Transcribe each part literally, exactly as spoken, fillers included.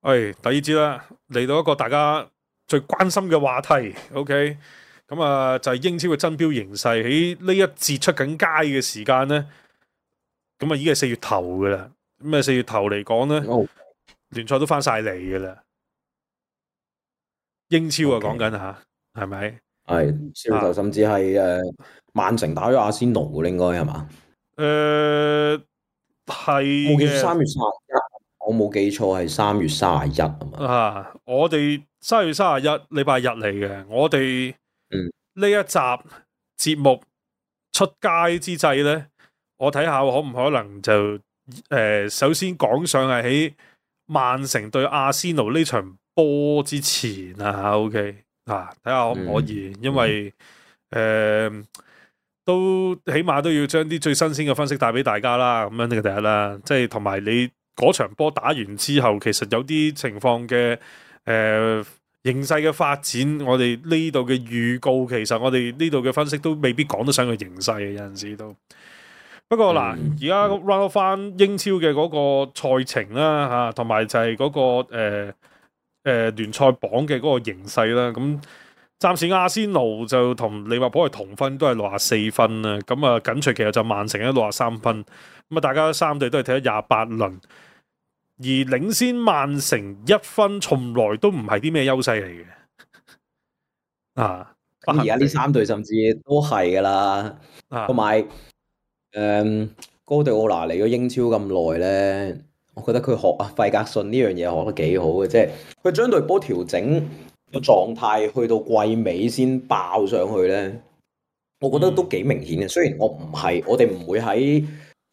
喂，第二節啦，嚟到一個大家最關心嘅話題，OK，咁啊就係英超嘅爭標形勢喺呢一節出緊街嘅時間咧，咁啊已經係四月頭噶啦，咁啊四月頭嚟講咧，哦聯賽都翻晒嚟噶啦，英超啊 ，OK，講緊吓，係咪？係四月頭，甚至係誒曼城打咗阿仙奴嘅，應該係嘛？誒係冇記錯，嘅三月三十一，我冇記錯係三月三十一啊嘛。啊，我哋三月三十一禮拜日嚟嘅，我哋嗯呢一集節目出街之際咧，我睇下可唔可能就誒、呃，首先講上係喺曼城對阿仙奴呢場波之前啊，OK 啊，睇下可唔可以，嗯因為誒、呃、都起碼都要將啲最新鮮嘅分析帶俾大家啦，咁樣呢個第一啦，即係同埋你嗰場波打完之後，其實有啲情況嘅誒。呃形勢嘅發展，我哋呢度嘅預告，其實我哋呢度嘅分析都未必講得上個形勢嘅，有陣時都。不過嗱，而家 run 翻英超嘅嗰個賽程啦，嚇，同埋就係嗰、嗰個誒誒、呃呃、聯賽榜嘅嗰個形勢啦。咁暫時阿仙奴就同利物浦係同分，都係六十四分啦。咁啊，緊隨其實就曼城咧六十三分。咁啊，大家三隊都係睇咗廿八輪。而領先曼城一分，從來都唔係啲咩優勢嚟嘅。啊，咁而家呢三隊甚至都係噶啦，同埋誒哥迪奧拿嚟咗英超咁耐咧，我覺得佢學啊費格遜呢樣嘢學得幾好嘅，即係佢將隊波調整個狀態去到季尾先爆上去咧，我覺得都幾明顯嘅。雖然我唔係，我哋唔會喺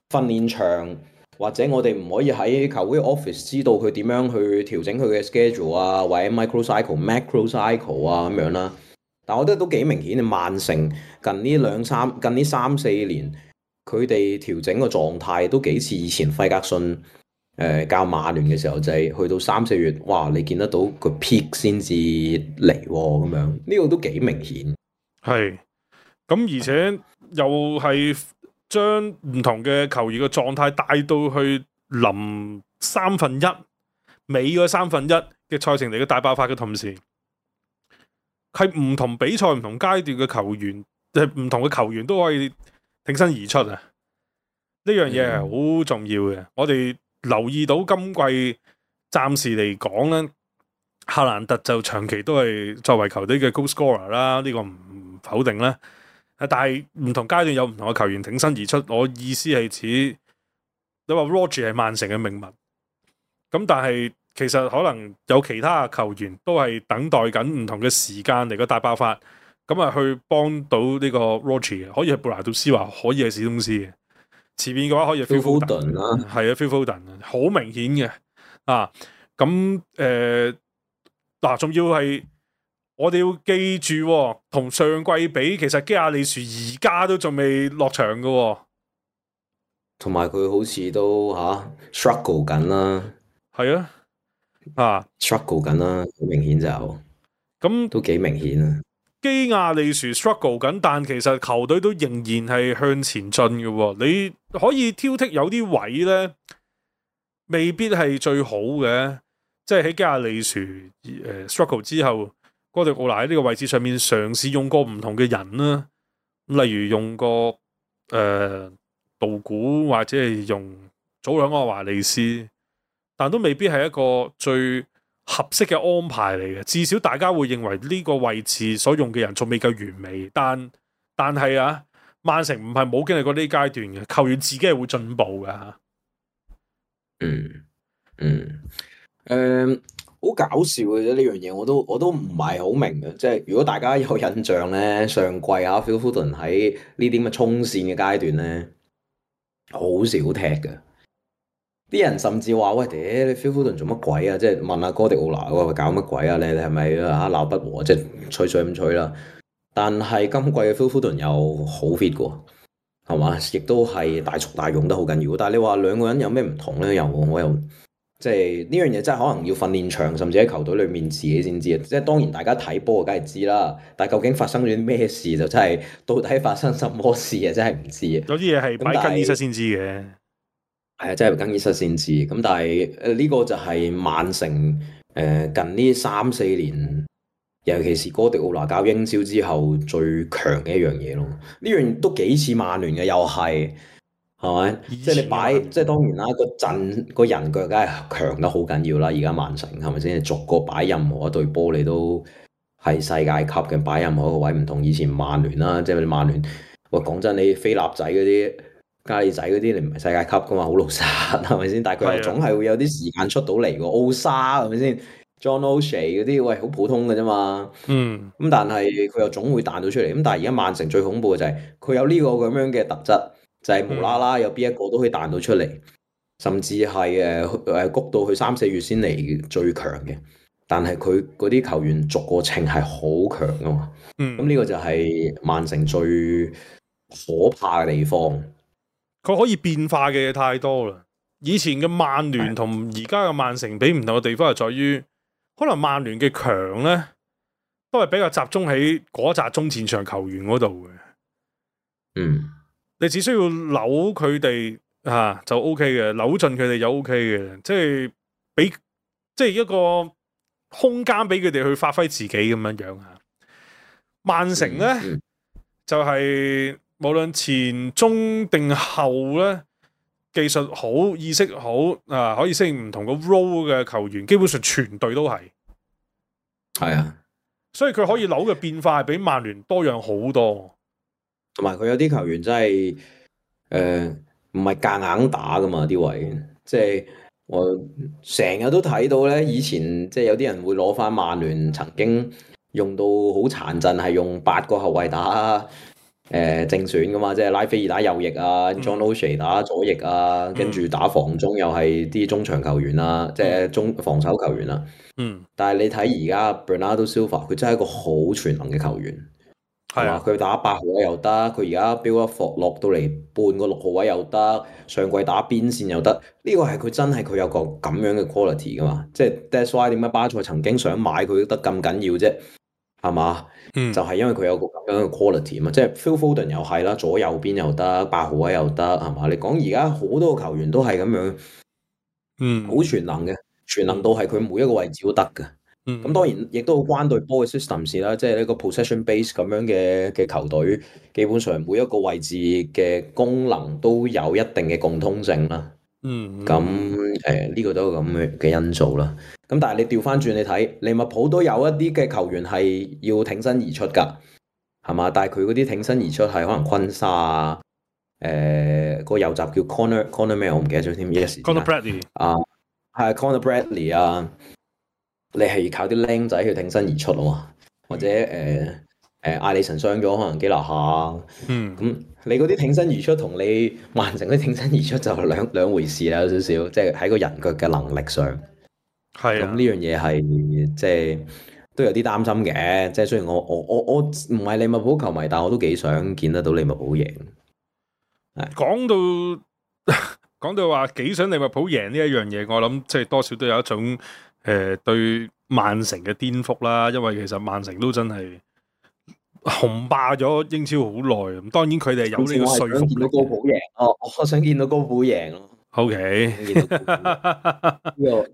訓練場。或者我哋唔可以喺球會 office 知道佢點樣去調整佢嘅 schedule 啊，或者 micro cycle、macro cycle 啊咁樣啦。但我覺得都幾明顯嘅，曼城近呢兩三近呢三四年，佢哋調整個狀態都幾似以前費格遜誒、呃、教曼聯嘅時候，就係、是、去到三四月，哇！你見得到個 peak 先至嚟咁樣，呢、這個都幾明顯。係咁，而且又係。將唔同嘅球員嘅狀態帶到去臨三分一尾嗰三分一嘅賽程嚟嘅大爆發嘅同時，係唔同比賽唔同階段嘅球員，係唔同嘅球員都可以挺身而出啊！呢樣嘢係好重要嘅。嗯、我哋留意到今季暫時嚟講咧，夏蘭特就長期都係作為球隊嘅 goal scorer 啦，呢個唔否定啦。但係唔同階段有唔同嘅球員挺身而出，我意思係指你話 Roger 係曼城嘅命脈，咁但係其實可能有其他嘅球員都係等待緊唔同嘅時間嚟個大爆發，咁啊去幫到呢個 Roger 嘅，可以係布拿杜斯華，可以係史東斯嘅，前面嘅話可以係 Phil Foden 啦，係啊 Phil Foden 好明顯嘅啊，咁誒嗱，仲要係。我哋要記住，同上季比，其實基亞利殊而家都仲未落場嘅，同埋佢好似都吓、啊、struggle 緊啦，係啊，啊 struggle 緊啦，好明顯就咁都幾明顯啊。基亞利殊 struggle 緊，但其實球隊都仍然係向前進嘅。你可以挑剔有啲位咧，未必係最好嘅，即係喺基亞利殊誒、呃、struggle 之後。哥迪奧拿喺呢個位置上面嘗試用過唔同嘅人啦，例如用過誒道古或者係用祖朗阿華利斯，但都未必係一個最合適嘅安排嚟嘅。至少大家會認為呢個位置所用嘅人仲未夠完美，但但係啊，曼城唔係冇經歷過呢階段嘅，球員自己係會進步嘅吓。嗯嗯誒。好搞笑嘅啫，呢樣嘢我都我都唔係好明嘅，即係如果大家有印象咧，上季啊 Phil Foden 喺呢啲咁嘅衝線嘅階段咧，好少踢嘅。啲人甚至話：喂，屌你 Phil Foden 做乜鬼啊？即係問下哥迪奧拿嗰個搞乜鬼啊？你你係咪啊鬧不和？即係吹水咁吹啦。但係今季嘅 Phil Foden 又好 fit 嘅，係嘛？亦都係大速大勇得好緊要。但係你話兩個人有咩唔同咧？又我又。即係呢樣嘢真係可能要訓練場，甚至喺球隊裏面自己先知啊！即係當然大家睇波梗係知啦，但係究竟發生咗啲咩事就真係到底發生什麼事啊？真係唔知啊！有啲嘢係擺更衣室先知嘅。係啊，真係更衣室先知。咁但係誒呢個就係曼城誒、呃、近呢三四年，尤其是哥迪奧拿教英超之後最強嘅一樣嘢咯。呢樣都幾似曼聯嘅，又係係咪？即係你擺，即係當然啦，個陣個人腳梗係強得好緊要啦。而家曼城係咪先？逐個擺任何一隊波，你都係世界級嘅，擺任何一個位，唔同以前曼聯啦。即係你曼聯，喂講真，你菲臘仔嗰啲。加利仔嗰啲你唔係世界級噶嘛，好老實係咪先？但係佢又總係會有啲時間出到嚟喎。奧沙係咪先 ？John O'Shea 嗰啲喂好普通嘅啫嘛。嗯。咁但係佢又總會彈到出嚟。咁但係而家曼城最恐怖嘅就係佢有呢個咁樣嘅特質，就係、是、無啦啦有邊一個都可以彈到出嚟，嗯、甚至係誒誒谷到去三四月先嚟最強嘅。但係佢嗰啲球員逐個稱係好強噶嘛。嗯。咁呢個就係曼城最可怕嘅地方。佢可以變化嘅嘢太多啦。以前嘅曼聯同而家嘅曼城比唔同嘅地方係在於，可能曼聯嘅強咧都係比較集中喺嗰紮中前場球員嗰度嘅。嗯，你只需要扭佢哋啊就 O K 嘅，扭盡佢哋就 O K 嘅，即係俾即係一個空間俾佢哋去發揮自己咁樣樣啊。曼城咧、嗯嗯、就係、是。無論前中定後咧，技術好、意識好啊，可以適應唔同個 role 嘅球員，基本上全隊都係。係啊，所以佢可以扭嘅變化係比曼聯多樣好多。同埋佢有啲球員真係誒唔係夾硬打噶嘛啲位，即係我成日都睇到咧。以前即係有啲人會攞翻曼聯曾經用到好殘陣，係用八個後衛打。誒、呃、正選噶嘛，即係拉菲爾打右翼啊、嗯、John O'Shea 打左翼啊，跟、嗯、住打防中又係啲中場球員啊，嗯、即係中防守球員啊。嗯。但係你睇而家 Bernardo Silva，佢真係一個好全能嘅球員，係嘛？佢打八號位又得，佢而家飆一伏落到嚟半個六號位又得，上季打邊線又得。呢、這個係佢真係佢有個咁樣嘅 quality 噶嘛？即係 That's why 點解巴塞曾經想買佢得咁緊要啫？係嘛？嗯、就係、是、因為佢有個咁樣嘅 quality 嘛，即係 Phil Foden 又係啦，左右邊又得，八號位又得，係嘛？你講而家好多個球員都係咁樣，嗯，好全能嘅，全能到係佢每一個位置都得嘅。咁、嗯、當然亦都好關對波嘅 system 事啦，即係呢個 possession base 咁樣嘅嘅球隊，基本上每一個位置嘅功能都有一定嘅共通性啦。嗯，咁誒呢個都係咁嘅嘅因素啦。咁但係你調翻轉你睇，利物浦都有一啲嘅球員係要挺身而出噶，係嘛？但係佢嗰啲挺身而出係可能昆沙啊，誒、呃個右閘叫 Conor Conor 咩？我唔記得咗添。Yes，Conor Bradley 啊，係 Conor Bradley 啊，你係靠啲僆仔去挺身而出啊嘛，或者誒。呃誒，艾利臣傷咗，可能基拿下。嗯，咁你嗰啲挺身而出同你曼城嗰啲挺身而出就兩兩回事啦，有少少，即係喺個人腳嘅能力上。係啊，咁呢樣嘢係即係都有啲擔心嘅。即係雖然我我我我唔係利物浦球迷，但我都幾想見得到利物浦贏。講到講到話幾想利物浦贏呢一樣嘢，我諗即係多少都有一種誒、呃、對曼城嘅顛覆啦。因為其實曼城都真係雄霸咗英超好耐，咁當然佢哋有呢個說服力。我想見到高普贏，哦，我想見到高普贏咯。O K，呢個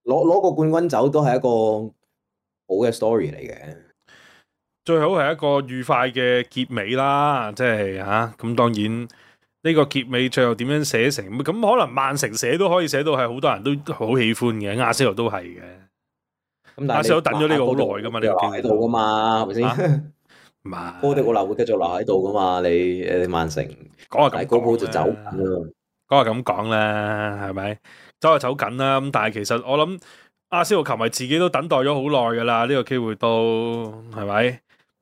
攞攞個冠軍走都係一個好嘅 story 嚟嘅。最好係一個愉快嘅結尾啦，即係吓咁。當然呢個結尾最後點樣寫成咁，可能曼城寫都可以寫到係好多人都好喜歡嘅，阿仙奴都係嘅。咁但係阿仙奴等咗呢個好耐噶嘛，呢個喺度噶嘛，係咪先？唔係，哥迪奧拿會繼續留喺度噶嘛？你誒曼城講下咁，高普就走緊啦。講下咁講啦，係咪走下走緊啦？咁但係其實我諗阿仙奴球迷自己都等待咗好耐噶啦，呢個機會都係咪？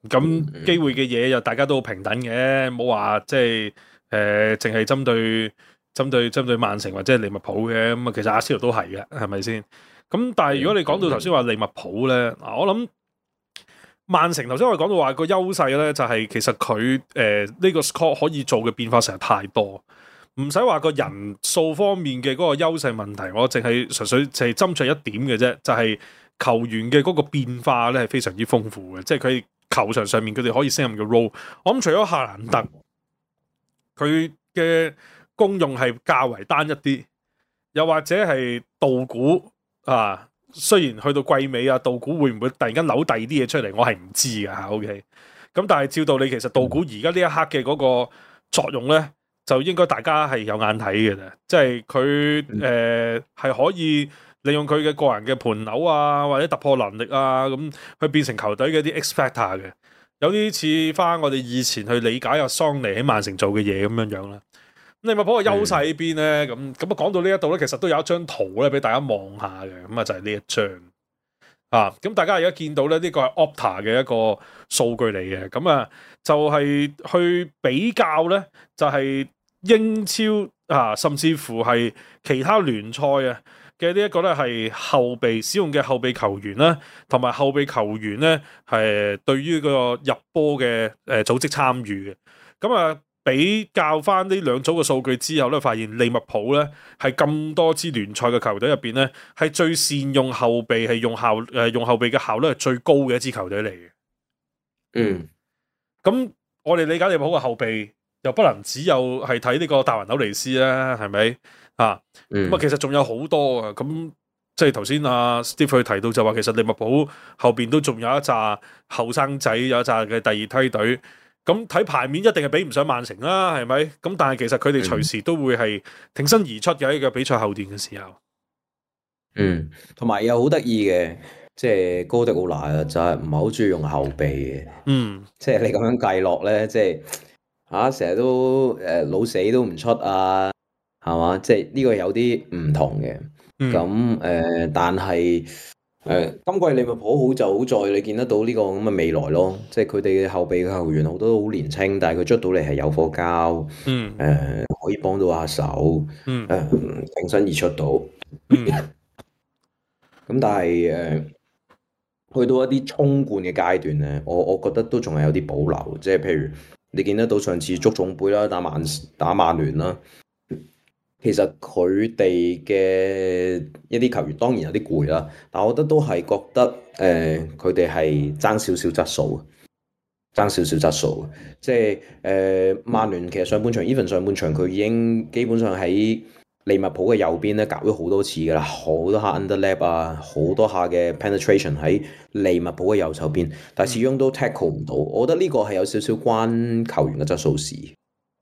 咁機會嘅嘢又大家都好平等嘅，冇話即係誒，淨係針對針對針對曼城或者係利物浦嘅。咁啊，其實阿仙奴都係嘅，係咪先？咁但係如果你講到頭先話利物浦咧，嗱，我諗。曼城頭先我哋講到話個優勢咧，就係其實佢誒呢個 squad 可以做嘅變化實在太多，唔使話個人數方面嘅嗰個優勢問題，我淨係純粹就係斟酌一點嘅啫，就係、是、球員嘅嗰個變化咧係非常之豐富嘅，即係佢球場上面佢哋可以勝任嘅 role。我諗除咗夏蘭特，佢嘅功用係較為單一啲，又或者係道股啊，雖然去到季尾啊，道股會唔會突然間扭第二啲嘢出嚟，我係唔知㗎嚇。OK，咁但係照道理其實道股而家呢一刻嘅嗰個作用咧，就應該大家係有眼睇嘅啫，即係佢誒係可以利用佢嘅個人嘅盤扭啊，或者突破能力啊，咁去變成球隊嘅一啲 X factor 嘅，有啲似翻我哋以前去理解阿桑尼喺曼城做嘅嘢咁樣樣啦。利物浦嘅優勢喺邊咧？咁咁啊，講到呢一度咧，其實都有一張圖咧，俾大家望下嘅。咁啊，就係呢一張啊。咁大家而家見到咧，呢個係 Opta 嘅一個數據嚟嘅。咁啊，就係去比較咧，就係英超啊，甚至乎係其他聯賽啊嘅呢一個咧，係後備使用嘅後備球員啦，同埋後備球員咧係對於個入波嘅誒組織參與嘅。咁啊。比較翻呢兩組嘅數據之後咧，發現利物浦咧係咁多支聯賽嘅球隊入邊咧，係最善用後備，係用效誒、呃、用後備嘅效率係最高嘅一支球隊嚟嘅。嗯，咁我哋理解利物浦嘅後備又不能只有係睇呢個達雲紐尼斯啦，係咪啊？咁啊，其實仲有好多啊。咁即係頭先阿 Steve 提到就話，其實利物浦後邊都仲有一紮後生仔，有一紮嘅第二梯隊。咁睇牌面一定係比唔上曼城啦，係咪？咁但係其實佢哋隨時都會係挺身而出嘅一個比賽後段嘅時候。嗯，同埋又好得意嘅，即係哥迪奧拿就係唔係好中意用後備嘅。嗯，即係你咁樣計落咧，即係嚇成日都誒、呃、老死都唔出啊，係嘛？即係呢個有啲唔同嘅。咁誒、嗯呃，但係。誒、呃，今季利物浦好就好在你見得到呢個咁嘅未來咯，即係佢哋嘅後備嘅球員好多都好年輕，但係佢出到嚟係有火膠，嗯，誒、呃，可以幫到下手，嗯，誒、呃，挺身而出到，嗯，咁但係誒、呃，去到一啲衝冠嘅階段咧，我我覺得都仲係有啲保留，即係譬如你見得到上次足總杯啦，打曼打曼聯啦。其實佢哋嘅一啲球員當然有啲攰啦，但我覺得都係覺得誒，佢哋係爭少少質素，爭少少質素。即係誒，曼聯其實上半場 even 上半場佢已經基本上喺利物浦嘅右邊咧搞咗好多次噶啦，好多下 underlap 啊，好多下嘅 penetration 喺利物浦嘅右手邊，但係始終都 tackle 唔到。我覺得呢個係有少少關球員嘅質素事。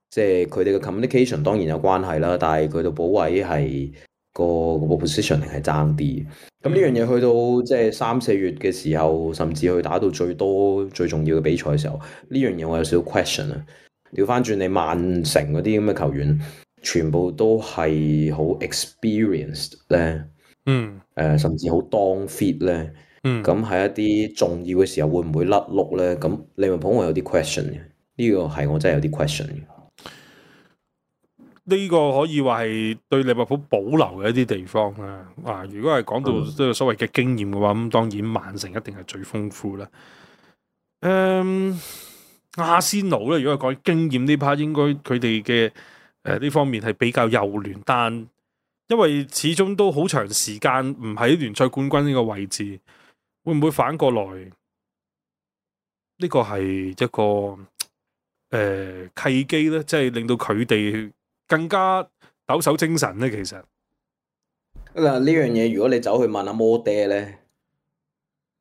即係佢哋嘅 communication 當然有關係啦，但係佢哋保位係個個 position 係爭啲。咁呢樣嘢去到即係三四月嘅時候，甚至去打到最多最重要嘅比賽嘅時候，呢樣嘢我有少少 question 啊。調翻轉你曼城嗰啲咁嘅球員，全部都係好 experienced 咧，嗯，誒、呃，甚至好當 fit 咧，嗯，咁喺一啲重要嘅時候會唔會甩碌咧？咁利物浦我有啲 question 嘅，呢個係我真係有啲 question 嘅。呢個可以話係對利物浦保留嘅一啲地方啦。啊，如果係講到即係所謂嘅經驗嘅話，咁當然曼城一定係最豐富啦。誒、嗯，阿仙奴咧，如果係講經驗呢 part，應該佢哋嘅誒呢方面係比較幼嫩，但因為始終都好長時間唔喺聯賽冠軍呢個位置，會唔會反過來？呢、這個係一個誒、呃、契機咧，即係令到佢哋更加抖擻精神咧，其實嗱呢樣嘢，如果你走去問阿摩爹咧，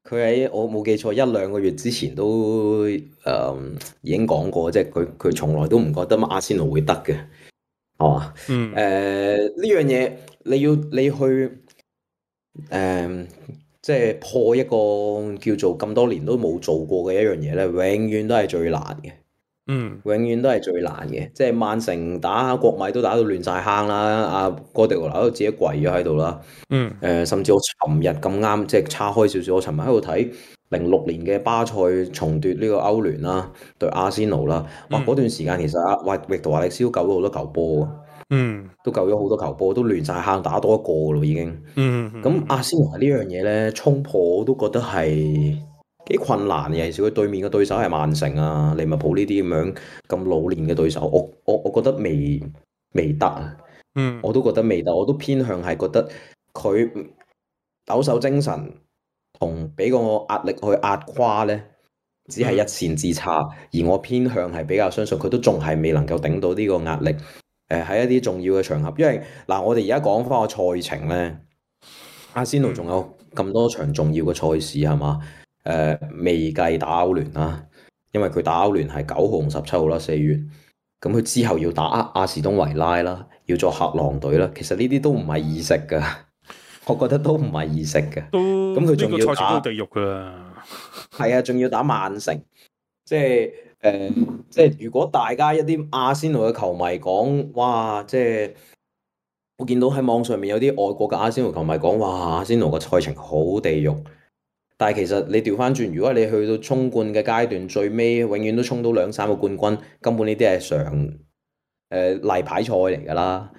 佢喺我冇記錯一兩個月之前都誒、嗯、已經講過，即係佢佢從來都唔覺得阿仙奴會得嘅，係嘛？嗯，誒呢樣嘢你要你去誒、嗯、即係破一個叫做咁多年都冇做過嘅一樣嘢咧，永遠都係最難嘅。嗯，永遠都係最難嘅，即係曼城打國米都打到亂晒坑啦，阿哥迪奧拿都自己跪咗喺度啦。嗯，誒、呃，甚至我尋日咁啱，即係叉開少少，我尋日喺度睇零六年嘅巴塞重奪呢個歐聯啦，對阿仙奴啦。哇，嗰、嗯、段時間其實阿華域陀華力斯都救咗好多球波，嗯，都救咗好多球波，都亂晒坑，打多一個咯已經。嗯，咁、嗯、阿仙奴呢樣嘢咧，衝破我都覺得係幾困難嘅，尤其是佢對面嘅對手係曼城啊、利物浦呢啲咁樣咁老練嘅對手，我我我覺得未未得啊，嗯，我都覺得未得，我都偏向係覺得佢抖擻精神同俾個壓力去壓垮咧，只係一線之差，嗯、而我偏向係比較相信佢都仲係未能夠頂到呢個壓力，誒喺一啲重要嘅場合，因為嗱我哋而家講翻個賽程咧，阿仙奴仲有咁多場重要嘅賽事係嘛？誒、呃、未計打歐聯啦，因為佢打歐聯係九號同十七號啦，四月。咁佢之後要打阿士東維拉啦，要做客狼隊啦。其實呢啲都唔係易食噶，我覺得都唔係易食嘅。都咁佢仲要打地獄噶，係啊，仲要打曼城。即係誒、呃，即係如果大家一啲阿仙奴嘅球迷講，哇！即係我見到喺網上面有啲外國嘅阿仙奴球迷講，哇！阿仙奴嘅賽程好地獄。但係其實你調翻轉，如果你去到衝冠嘅階段，最尾永遠都衝到兩三個冠軍，根本呢啲係常誒例牌賽嚟㗎啦，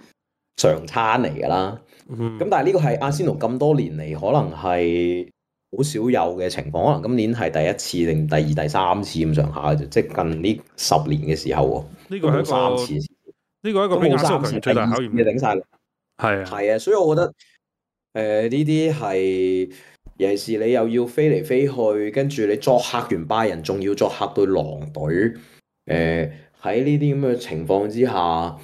常餐嚟㗎啦。咁、嗯、但係呢個係阿仙奴咁多年嚟可能係好少有嘅情況，可能今年係第一次定第二、第三次咁上下嘅，即係近呢十年嘅時候喎。呢個係一個三次，呢個係一個比亞洲球員最大考驗嘅頂晒嚟。係啊，係啊，所以我覺得誒呢啲係。尤其是你又要飛嚟飛去，跟住你作客完拜仁，仲要作客對狼隊。誒喺呢啲咁嘅情況之下，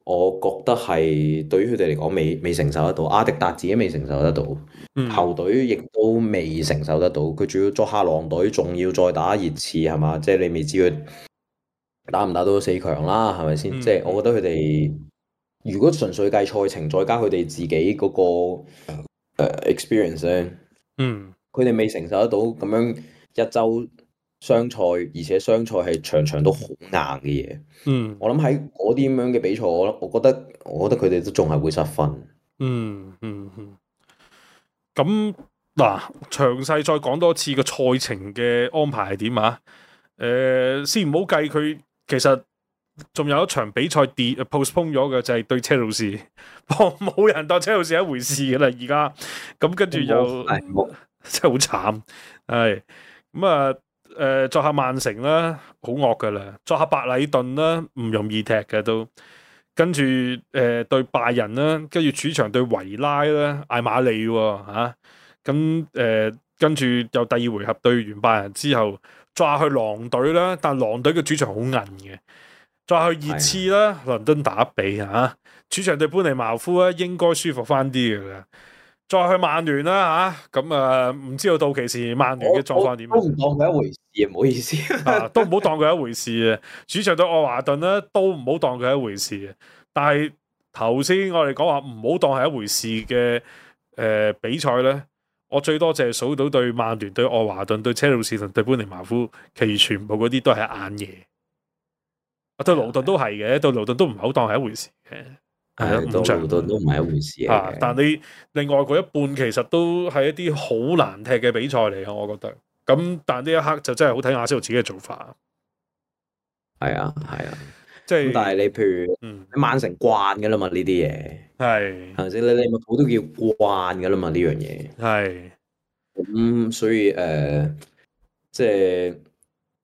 我覺得係對於佢哋嚟講未未承受得到。阿迪達自己未承受得到，嗯、球隊亦都未承受得到。佢仲要作客狼隊，仲要再打熱刺係嘛？即係你未知佢打唔打到四強啦，係咪先？嗯、即係我覺得佢哋如果純粹計賽程，再加佢哋自己嗰、個、呃、experience 咧。嗯，佢哋未承受得到咁樣一周雙賽，而且雙賽係場場都好硬嘅嘢。嗯，我諗喺嗰啲咁樣嘅比賽，我我覺得，我覺得佢哋都仲係會失分。嗯嗯嗯。咁嗱，詳細再講多次個賽程嘅安排係點啊？誒、呃，先唔好計佢，其實仲有一場比賽跌 postpone 咗嘅，就係對車路士。冇人當車路士一回事嘅啦，而家咁跟住又真係好慘，係咁啊！誒、呃，作客曼城啦，好惡噶啦；作客白禮頓啦，唔容易踢嘅都。跟住誒、呃、對拜仁啦，跟住主場對維拉啦，艾馬利喎嚇。咁、啊、誒、呃、跟住又第二回合對完拜仁之後，再去狼隊啦，但狼隊嘅主場好硬嘅。再去熱刺啦，倫敦打比嚇、啊，主場對般尼茅夫咧應該舒服翻啲嘅啦。再去曼聯啦嚇，咁啊唔知道到期時曼聯嘅狀況點？都唔當佢一回事，唔好意思。啊，都唔好當佢一回事啊！主場對愛華頓咧，都唔好當佢一回事啊！但係頭先我哋講話唔好當係一回事嘅誒、呃、比賽咧，我最多淨係數到對曼聯、對愛華頓、對車路士同對般尼茅夫，其餘全部嗰啲都係硬嘢。對勞頓都係嘅，對勞頓都唔好當係一回事嘅，係啊，五場都都唔係一回事啊。但你另外嗰一半其實都係一啲好難踢嘅比賽嚟嘅，我覺得。咁但呢一刻就真係好睇阿仙奴自己嘅做法。係啊，係啊，即係。但係你譬如，嗯，曼城慣嘅啦嘛，呢啲嘢係係咪先？你利物浦都叫慣嘅啦嘛，呢樣嘢係。咁所以誒、呃，即係。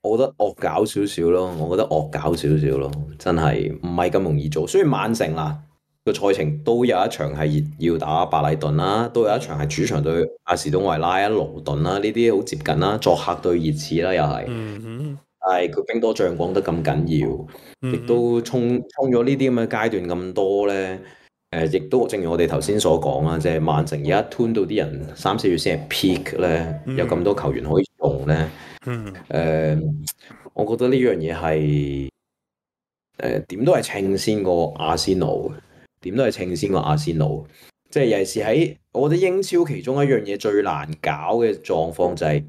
我覺得惡搞少少咯，我覺得惡搞少少咯，真係唔係咁容易做。雖然曼城啦個賽程都有一場係要打白禮頓啦，都有一場係主場對阿士東維拉啊、勞頓啦，呢啲好接近啦，作客對熱刺啦又係。嗯哼。但係佢兵多將廣得咁緊要，亦、嗯、都衝衝咗呢啲咁嘅階段咁多咧。誒、呃，亦都正如我哋頭先所講啦，即係曼城而家 turn 到啲人三四月先係 peak 咧，有咁多球員可以用咧。嗯，誒、呃，我覺得呢樣嘢係誒點都係稱先過阿仙奴，點都係稱先過阿仙奴。即係尤其是喺我覺得英超其中一樣嘢最難搞嘅狀況就係、是、誒、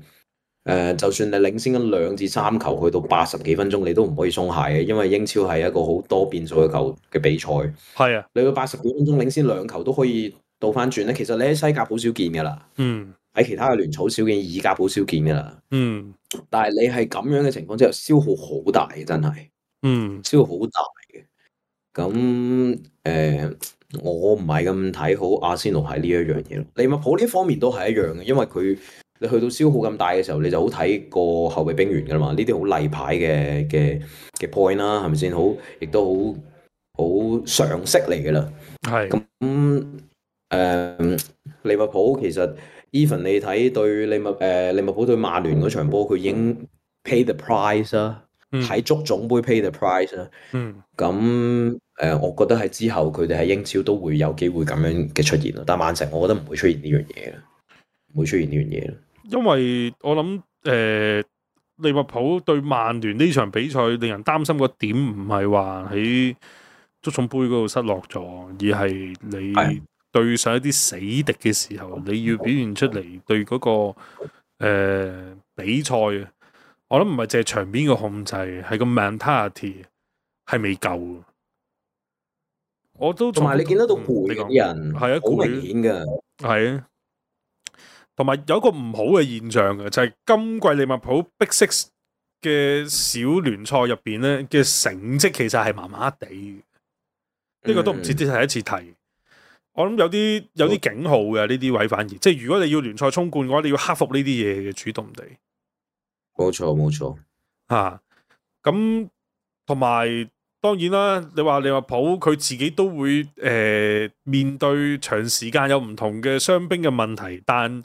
呃，就算你領先緊兩至三球，去到八十幾分鐘，你都唔可以鬆懈嘅，因為英超係一個好多變數嘅球嘅比賽。係啊，你到八十幾分鐘領先兩球都可以倒翻轉咧，其實你喺西甲好少見噶啦。嗯。喺其他嘅聯草少見，意甲好少見噶啦。嗯，但係你係咁樣嘅情況之下，消耗好大嘅，真係。嗯，消耗好大嘅。咁誒、呃，我唔係咁睇好阿仙奴係呢一樣嘢咯。利物浦呢方面都係一樣嘅，因為佢你去到消耗咁大嘅時候，你就好睇個後備兵員噶啦嘛。呢啲好例牌嘅嘅嘅 point 啦，係咪先？好，亦都好好常識嚟噶啦。係。咁誒、呃，利物浦其實。Even 你睇對利物誒利物浦對曼聯嗰場波，佢已經 pay the price 啦，喺足總杯 pay the price 啦。嗯，咁誒、呃，我覺得喺之後佢哋喺英超都會有機會咁樣嘅出現咯。但曼城，我覺得唔會出現呢樣嘢啦，唔會出現呢樣嘢啦。因為我諗誒、呃，利物浦對曼聯呢場比賽令人擔心個點唔係話喺足總杯嗰度失落咗，而係你對上一啲死敵嘅時候，你要表現出嚟對嗰、那個、呃、比賽啊。我諗唔係淨係場面嘅控制，係個 mentality 係未夠。我都同埋你見得到攰嘅啲人，係啊，好明顯㗎。係啊，同埋有一個唔好嘅現象嘅，就係、是、今季利物浦 Big Six 嘅小聯賽入邊咧嘅成績其實係麻麻地。呢、這個都唔知第一次提。嗯、我諗有啲有啲警號嘅呢啲位，反而即係如果你要聯賽衝冠嘅話，你要克服呢啲嘢嘅主動地。冇錯冇錯嚇，咁同埋當然啦，你話利物浦佢自己都會誒、呃、面對長時間有唔同嘅傷兵嘅問題，但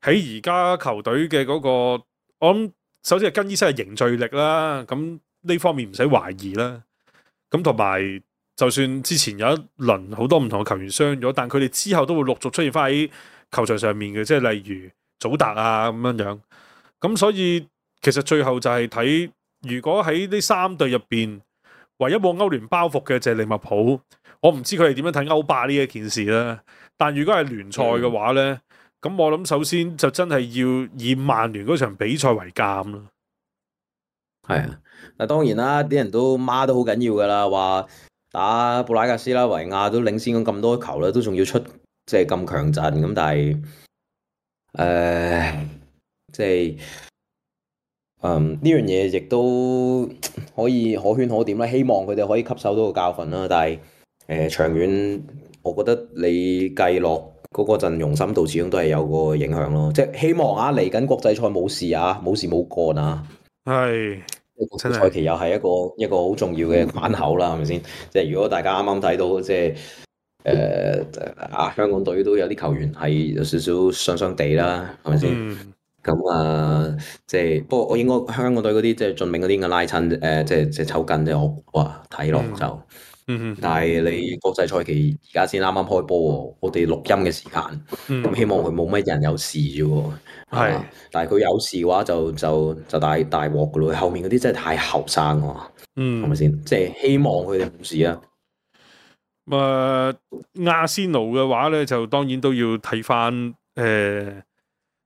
喺而家球隊嘅嗰個，我諗首先係更衣室嘅凝聚力啦，咁呢方面唔使懷疑啦。咁同埋就算之前有一輪好多唔同嘅球員傷咗，但佢哋之後都會陸續出現翻喺球場上面嘅，即係例如祖達啊咁樣樣。咁所以其實最後就係睇，如果喺呢三隊入邊，唯一冇歐聯包袱嘅就係利物浦。我唔知佢哋點樣睇歐霸呢一件事啦。但如果係聯賽嘅話呢，咁、嗯、我諗首先就真係要以曼聯嗰場比賽為鑑啦。係啊，嗱當然啦，啲人都孖都好緊要噶啦，話打布拉格斯拉維亞都領先咗咁多球啦，都仲要出即係咁強陣咁，但係誒即係。嗯，呢樣嘢亦都可以可圈可點啦，希望佢哋可以吸收到個教訓啦。但係誒、呃、長遠，我覺得你計落嗰個陣容深度，始終都係有個影響咯。即係希望啊，嚟緊國際賽冇事啊，冇事冇幹啊。係，國際賽期又係一個一個好重要嘅關口啦，係咪先？即係如果大家啱啱睇到，即係誒啊香港隊都有啲球員係有少少傷傷地啦，係咪先？嗯咁啊，即係不過我應該香港隊嗰啲即係盡命嗰啲嘅拉親，誒、呃、即係即係抽筋啫。我哇睇落就，嗯嗯、但係你國際賽期而家先啱啱開波喎，我哋錄音嘅時間，咁、嗯、希望佢冇乜人有事啫喎。係，但係佢有事嘅話就就就大大鑊噶咯。後面嗰啲真係太後生喎，係咪先？即係希望佢哋冇事啊。誒、呃，阿仙奴嘅話咧，就當然都要睇翻誒。呃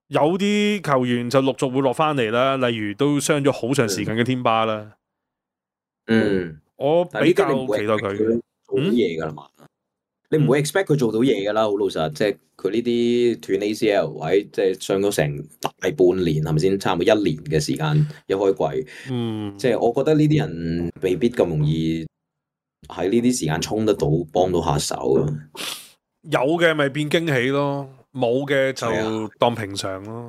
有啲球員就陸續會落翻嚟啦，例如都傷咗好長時間嘅天巴啦。嗯，我比較期待佢做到嘢噶啦嘛。你唔會 expect 佢做到嘢噶啦，好老實。即係佢呢啲斷 A C L 位，即係傷咗成大半年，係咪先？差唔多一年嘅時間一開季。嗯，即係我覺得呢啲人未必咁容易喺呢啲時間衝得到，幫到下手。有嘅咪變驚喜咯。冇嘅就當平常咯，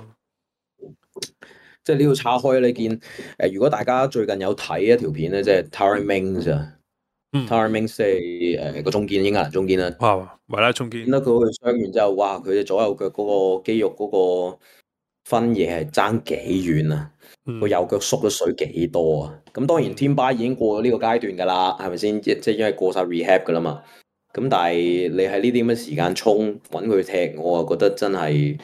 即係呢度岔開你見誒、呃，如果大家最近有睇一條片咧，即係 Tyrone Mings 啊，Tyrone Mings 即係誒個中堅，英格蘭中堅啦，哇，維拉中堅，見到佢傷完之後，哇，佢嘅左右腳嗰個肌肉嗰個分野係爭幾遠啊，個、嗯、右腳縮咗水幾多啊，咁當然天巴已經過咗呢個階段噶啦，係咪先？即係因為過晒 rehab 噶啦嘛。咁但係你喺呢啲咁嘅時間衝揾佢踢，我啊覺得真係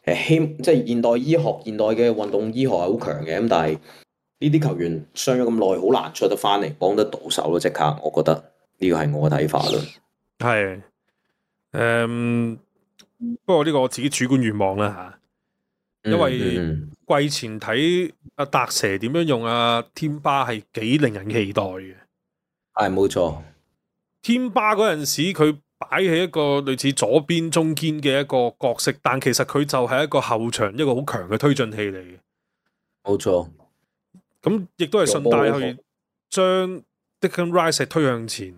誒希即係現代醫學、現代嘅運動醫學係好強嘅。咁但係呢啲球員傷咗咁耐，好難出得翻嚟幫得到手咯。即刻，我覺得呢個係我嘅睇法咯。係誒、嗯，不過呢個我自己主觀願望啦嚇，因為季前睇阿達蛇點樣用阿天巴係幾令人期待嘅。係冇錯。天巴嗰陣時，佢擺喺一個類似左邊中堅嘅一個角色，但其實佢就係一個後場一個好強嘅推進器嚟嘅。冇錯，咁亦都係順帶去將 Declan Rice 推向前，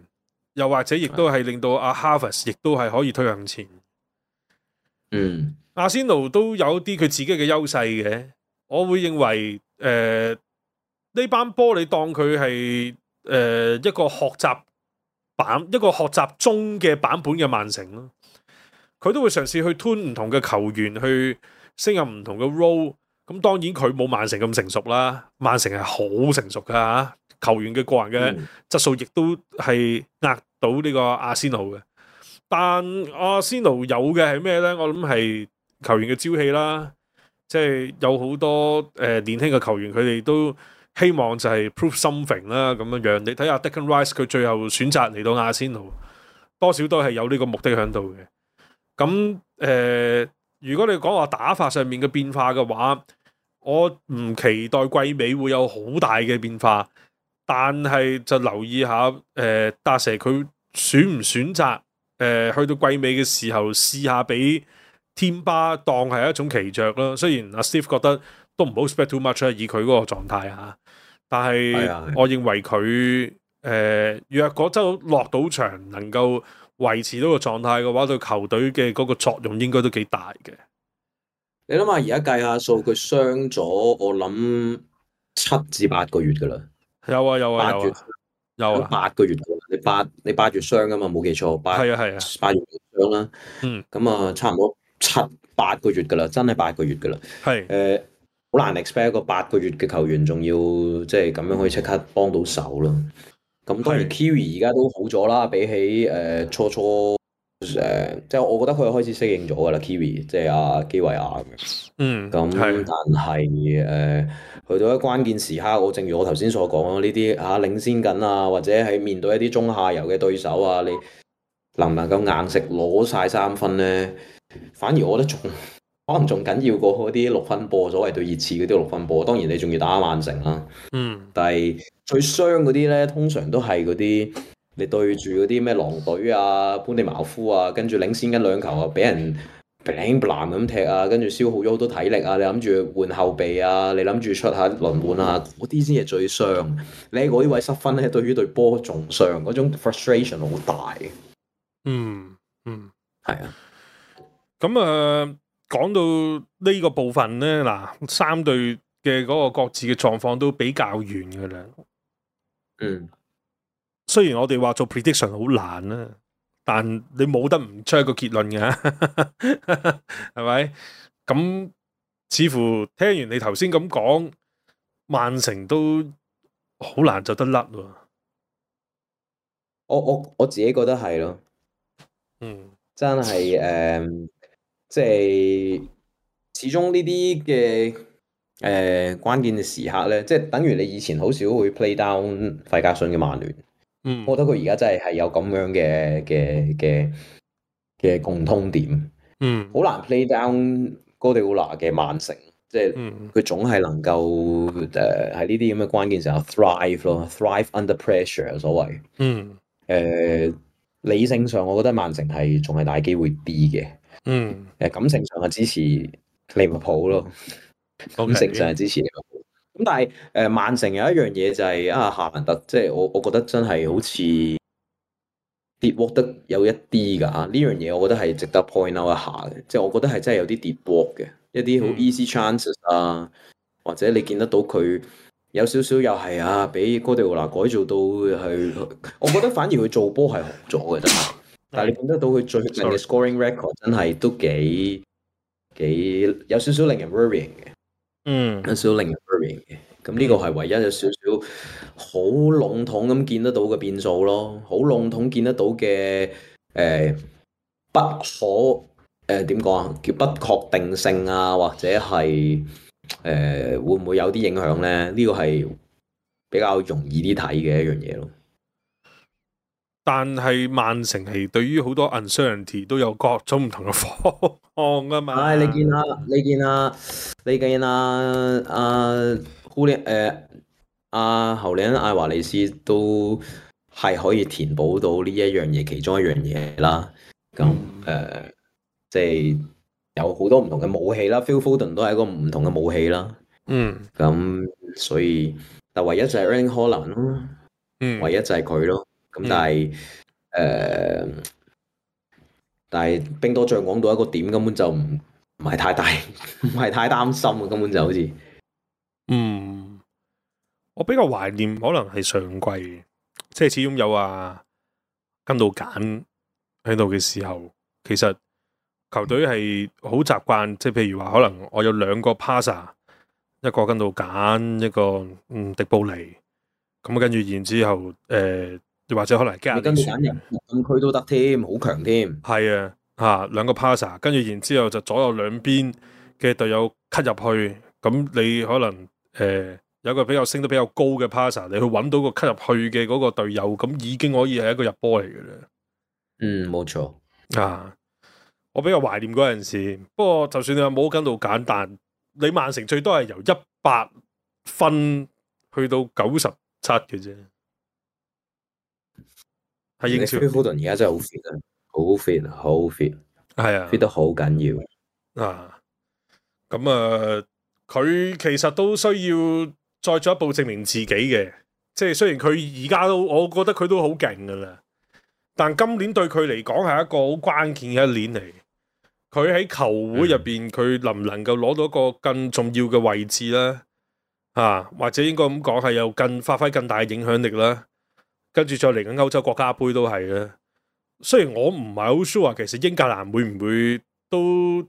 又或者亦都係令到阿 Havertz 亦都係可以推向前。嗯，阿仙奴都有啲佢自己嘅優勢嘅，我會認為誒呢、呃、班波你當佢係誒一個學習。版一個學習中嘅版本嘅曼城咯，佢都會嘗試去 tune 唔同嘅球員去升入唔同嘅 role，咁當然佢冇曼城咁成熟啦，曼城係好成熟噶嚇，球員嘅個人嘅質素亦都係壓到呢個阿仙奴嘅。但阿仙奴有嘅係咩咧？我諗係球員嘅朝氣啦，即係有好多誒、呃、年輕嘅球員，佢哋都希望就係 prove something 啦咁樣樣。你睇下 Declan Rice 佢最後選擇嚟到阿仙奴，多少都係有呢個目的喺度嘅。咁誒、呃，如果你講話打法上面嘅變化嘅話，我唔期待季尾會有好大嘅變化，但係就留意下誒達蛇佢選唔選擇誒、呃、去到季尾嘅時候試下俾天巴當係一種奇著啦。雖然阿 Steve 覺得都唔好 expect too much 啦，以佢嗰個狀態嚇，但係我認為佢誒、呃、若果真落到場能夠維持到個狀態嘅話，對球隊嘅嗰個作用應該都幾大嘅。你諗下，而家計下數，佢傷咗，我諗七至八個月噶啦。有啊有啊有啊有啊，八個月噶啦。你八你八月傷噶嘛？冇記錯，八係啊係啊，八月傷啦。嗯，咁啊，差唔多七八個月噶啦，真係八個月噶啦。係誒，好難 expect 一個八個月嘅球員，仲要即係咁樣可以即刻幫到手咯。咁當然 Kiwi 而家都好咗啦，比起誒、呃、初初。誒、呃，即係我覺得佢開始適應咗噶啦 ，Kiwi 即係阿基維亞咁樣。嗯，咁但係誒、呃，去到一關鍵時刻，我正如我頭先所講咯，呢啲嚇領先緊啊，或者係面對一啲中下游嘅對手啊，你能唔能夠硬食攞晒三分咧？反而我覺得仲可能仲緊要過嗰啲六分波，所謂對熱刺嗰啲六分波。當然你仲要打曼城啦。嗯，但係最傷嗰啲咧，通常都係嗰啲。你對住嗰啲咩狼隊啊、潘地茅夫啊，跟住領先緊兩球啊，俾人砰砰咁踢啊，跟住消耗咗好多體力啊，你諗住換後備啊，你諗住出下輪換啊，嗰啲先係最傷。你喺嗰啲位失分咧，對於對波仲傷，嗰種 frustration 好大。嗯嗯，係啊。咁啊，講到呢個部分咧，嗱，三隊嘅嗰個各自嘅狀況都比較遠㗎啦。嗯。雖然我哋話做 prediction 好難啦，但你冇得唔出一個結論嘅，係咪？咁似乎聽完你頭先咁講，曼城都好難就得甩喎。我我我自己覺得係咯，嗯，真係誒、呃，即係始終呢啲嘅誒關鍵嘅時刻咧，即係等於你以前好少會 play down 費格遜嘅曼聯。嗯，我覺得佢而家真係係有咁樣嘅嘅嘅嘅共通點。嗯，好難 play down 哥迪奧拿嘅曼城，即係佢總係能夠誒喺呢啲咁嘅關鍵時候 thrive 咯 ，thrive under pressure 所謂。嗯，誒、呃、理性上我覺得曼城係仲係大機會啲嘅。嗯，誒感情上係支持利物浦咯，感情上係支持利物浦。咁但係誒、呃、曼城有一樣嘢就係、是、啊夏蘭特，即係我我覺得真係好似跌鑊得有一啲㗎，呢樣嘢我覺得係值得 point out 一下嘅，即係我覺得係真係有啲跌鑊嘅，一啲好 easy chances 啊，嗯、或者你見得到佢有少少又係啊，俾哥迪奧拿改造到係，我覺得反而佢做波係好咗嘅真係，但係你見得到佢最近嘅 scoring record 真係都幾幾有少少令人 worrying 嘅。嗯，有少少令人 worrying 嘅，咁呢個係唯一有少少好籠統咁見得到嘅變數咯，好籠統見得到嘅誒、呃、不可誒點講啊，叫不確定性啊，或者係誒、呃、會唔會有啲影響咧？呢個係比較容易啲睇嘅一樣嘢咯。但係曼城係對於好多 uncertainty 都有各種唔同嘅方案啊嘛。唉、哎，你見啊，你見啊，你見啊，阿庫列誒阿侯利恩艾華利斯都係可以填補到呢一樣嘢，其中一樣嘢啦。咁誒、嗯呃，即係有好多唔同嘅武器啦。Phil Foden 都係一個唔同嘅武器啦。嗯。咁所以，但唯一就係 Erling Haaland 咯。嗯。唯一就係佢咯。咁但係誒、呃，但係兵多將廣到一個點，根本就唔唔係太大，唔係太擔心啊！根本就好似，嗯，我比較懷念可能係上季，即係始終有啊跟到揀喺度嘅時候，其實球隊係好習慣，即係譬如話可能我有兩個 passer 一個跟到揀，一個嗯迪布尼，咁跟住然之後誒、呃，或者可能加跟到揀人禁區都得添，好強添。係啊，嚇兩個 passer，跟住然之後就左右兩邊嘅隊友 cut 入去，咁你可能誒、呃、有個比較升得比較高嘅 passer，你去揾到個 cut 入去嘅嗰個隊友，咁已經可以係一個入波嚟嘅啦。嗯，冇錯啊！我比較懷念嗰陣時，不過就算你話冇跟到揀，但你曼城最多係由一百分去到九十七嘅啫。係英超。Phil Foden 而家真係好 fit 啊，好 fit，好 fit，係啊 ，fit 得好緊要啊！咁啊，佢其實都需要再進一步證明自己嘅，即係雖然佢而家都，我覺得佢都好勁噶啦，但今年對佢嚟講係一個好關鍵嘅一年嚟。佢喺球會入邊，佢、嗯、能唔能夠攞到一個更重要嘅位置咧？啊，或者應該咁講係有更發揮更大嘅影響力啦。跟住再嚟緊歐洲國家杯都係啦。雖然我唔係好 sure 其實英格蘭會唔會都誒、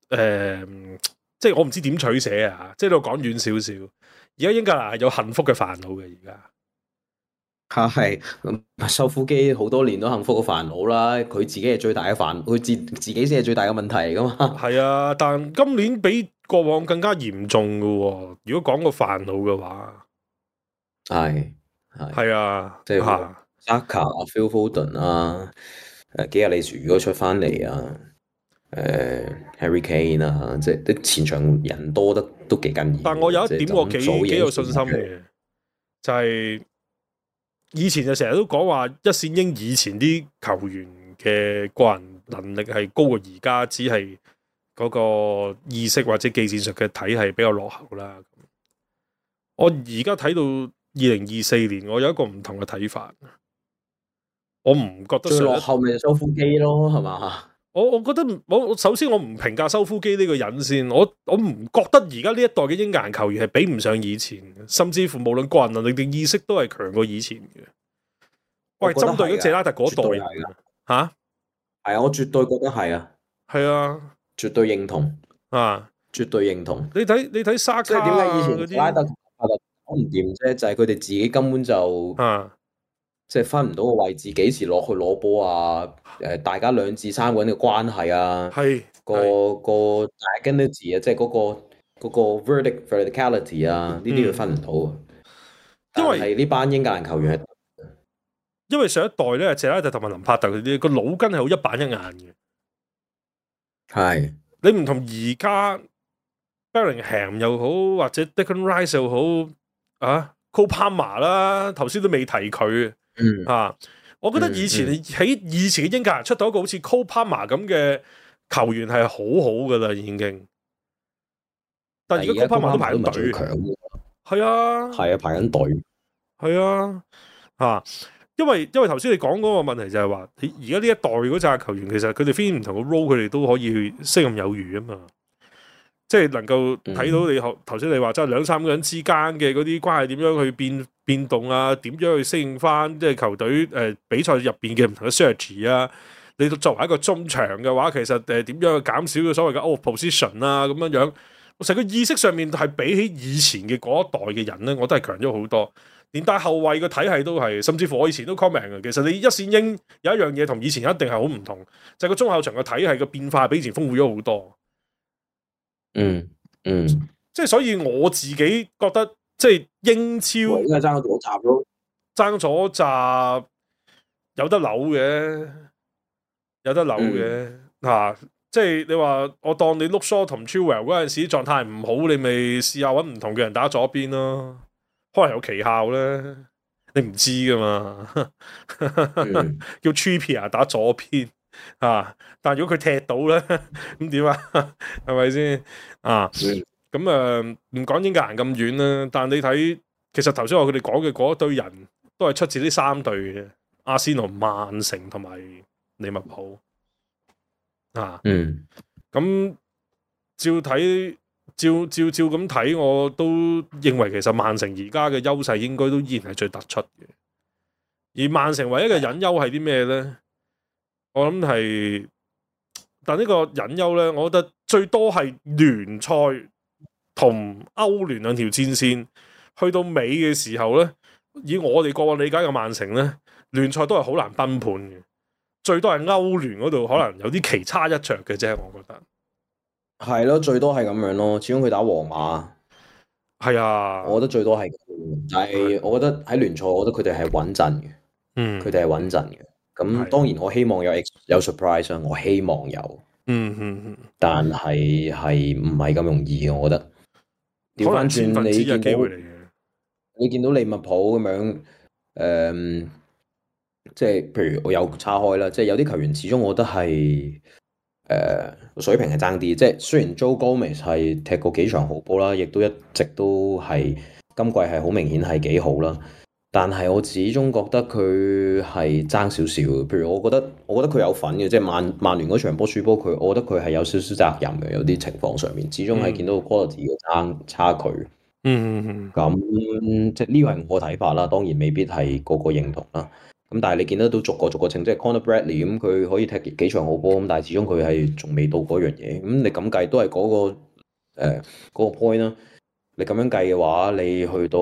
呃，即係我唔知點取捨啊！即係度講遠少少。而家英格蘭係有幸福嘅煩惱嘅，而家。嚇係，修夫基好多年都幸福嘅煩惱啦，佢自己係最大嘅煩，佢自自己先係最大嘅問題嚟噶嘛。係啊，但今年比過往更加嚴重嘅喎。如果講個煩惱嘅話，係係係啊，即係 Saka 啊、Phil Foden 啊、誒基亞利殊如果出翻嚟啊、誒 Harry Kane 啊，即係啲前場人多得都幾緊要。但我有一點我幾幾有信心嘅，就係、是。以前就成日都講話一線英以前啲球員嘅個人能力係高過而家，只係嗰個意識或者技戰術嘅體系比較落後啦。我而家睇到二零二四年，我有一個唔同嘅睇法。我唔覺得最落後咪修夫基咯，係嘛？我我覺得我首先我唔評價修夫基呢個人先，我我唔覺得而家呢一代嘅英格蘭球員係比唔上以前，甚至乎無論個人能力定意識都係強過以前嘅。喂，針對咗謝拉特嗰代人吓，係啊，我絕對覺得係啊，係啊，絕對認同啊，絕對認同。你睇你睇沙卡，即係點解以前謝拉特同阿特講唔掂啫？就係佢哋自己根本就啊。即係分唔到個位置，幾時落去攞波啊？誒，大家兩至三個人嘅關係啊，係個個 identity 啊，即係嗰個嗰個 vertic verticality 啊，呢啲佢分唔到啊。因為係呢班英格蘭球員係，因為上一代咧，謝拉特同埋林柏特嗰啲個腦筋係好一板一眼嘅。係你唔同而家 Bellingham 又好，或者 Declan Rice 又好啊 Cole Palmer 啦，頭先都未提佢。嗯啊，我覺得以前喺、嗯嗯、以前嘅英格蘭出到一個好似 Cole Palmer 咁嘅球員係好好噶啦，已經。但而家 Cole Palmer 都排緊隊，係啊，係啊，排緊隊，係啊，啊，因為因為頭先你講嗰個問題就係話，而家呢一代嗰紮球員，其實佢哋 fit 唔同嘅 role，佢哋都可以去適任有餘啊嘛。即係能夠睇到你頭頭先你話，即係兩三個人之間嘅嗰啲關係點樣去變變動啊？點樣去適應翻即係球隊誒、呃、比賽入邊嘅唔同嘅 strategy 啊？你作為一個中場嘅話，其實誒點、呃、樣去減少嘅所謂嘅 out position 啊？咁樣樣，我成個意識上面係比起以前嘅嗰一代嘅人咧，我都係強咗好多。連帶後衞嘅體系都係，甚至乎我以前都 comment 嘅。其實你一線英有一樣嘢同以前一定係好唔同，就係、是、個中後場嘅體系嘅變化比以前豐富咗好多。嗯嗯，即係所以我自己覺得，即係英超應該爭咗左閘咯，爭咗閘有得扭嘅，有得扭嘅吓、嗯啊。即係你話我當你 Luke Shaw 同 Chilwell 嗰陣時狀態唔好，你咪試下搵唔同嘅人打左邊咯，可能有奇效咧，你唔知噶嘛。嗯、叫 Trippier 打左邊。啊！但如果佢踢到咧，咁點啊？係咪先啊？咁誒唔講英格蘭咁遠啦，但你睇其實頭先我佢哋講嘅嗰一堆人都係出自呢三隊嘅，阿仙奴、曼城同埋利物浦啊。嗯，咁照睇，照照照咁睇，我都認為其實曼城而家嘅優勢應該都依然係最突出嘅。而曼城唯一嘅隱憂係啲咩咧？我諗係，但呢個隱憂咧，我覺得最多係聯賽同歐聯兩條戰線，去到尾嘅時候咧，以我哋過往理解嘅曼城咧，聯賽都係好難崩盤嘅，最多係歐聯嗰度可能有啲棋差一着嘅啫，我覺得。係咯，最多係咁樣咯。始終佢打皇馬，係啊，我覺得最多係咁。但係我覺得喺聯賽，我覺得佢哋係穩陣嘅。嗯，佢哋係穩陣嘅。咁當然我希望有有 surprise 啊，我希望有。嗯嗯嗯。但係係唔係咁容易嘅，我覺得。調翻轉你見到你見到利物浦咁樣，誒、嗯，即係譬如我有叉開啦，即係有啲球員始終我覺得係誒、呃、水平係爭啲。即係雖然 Joe Gomez 係踢過幾場好波啦，亦都一直都係今季係好明顯係幾好啦。但係我始終覺得佢係爭少少，譬如我覺得，我覺得佢有份嘅，即係曼曼聯嗰場波輸波，佢我覺得佢係有少少責任嘅，有啲情況上面，始終係見到 quality 嘅差差距。嗯嗯，咁即係呢個係我睇法啦，當然未必係個個認同啦。咁但係你見得到逐個逐個稱，即係 Conor Bradley 咁，佢可以踢幾場好波咁，但係始終佢係仲未到嗰樣嘢。咁你咁計都係嗰個誒嗰個 point 啦。你咁樣計嘅話，你去到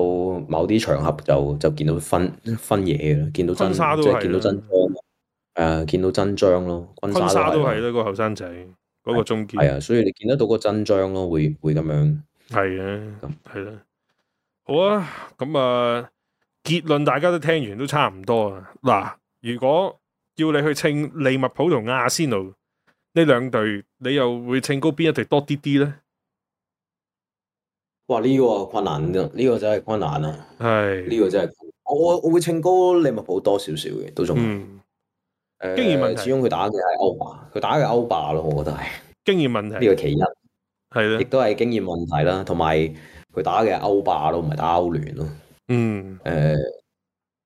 某啲場合就就見到分分嘢嘅，見到真即係見到真章，誒、呃、見到真章咯。昆沙都係啦，嗰個後生仔嗰個中堅係啊，所以你見得到個真章咯，會會咁樣係啊，係啦。好啊，咁啊結論大家都聽完都差唔多啊。嗱，如果要你去稱利物浦同阿仙奴呢兩隊，你又會稱高邊一隊多啲啲咧？哇！呢、這個困難，呢、這個真係困難啊！係呢、這個真係我我我會稱高利物浦多少少嘅，都仲嗯誒，經驗問題始終佢打嘅係歐霸，佢打嘅歐霸咯，我覺得係經驗問題。呢個其一係啦，亦都係經驗問題啦，同埋佢打嘅係歐霸咯，唔係打歐聯咯。嗯，誒，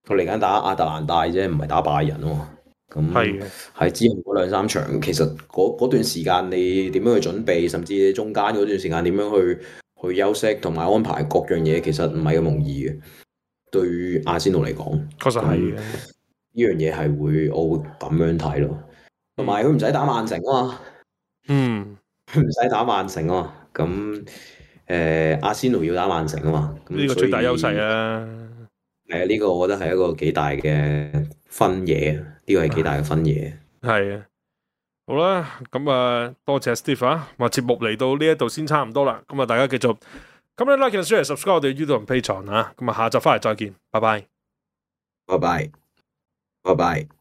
佢嚟緊打亞特蘭大啫，唔係打拜仁喎。咁係喺之後嗰兩三場，其實嗰段時間你點樣去準備，甚至中間嗰段時間點樣去去休息同埋安排各樣嘢，其實唔係咁容易嘅。對於阿仙奴嚟講，確實係嘅。呢樣嘢係會，我會咁樣睇咯。同埋佢唔使打曼城啊嘛，嗯，佢唔使打曼城啊嘛。咁誒、呃，阿仙奴要打曼城啊嘛。呢個最大優勢啊。係啊，呢個我覺得係一個幾大嘅分野，呢、這個係幾大嘅分野。係啊，好啦，咁啊，多謝 Steve 啊，話節目嚟到呢一度先差唔多啦。咁啊，大家繼續咁你 like and share subscribe 我哋 YouTube 同 Patreon 啊。咁啊，下集翻嚟再見，拜拜，拜拜，拜拜。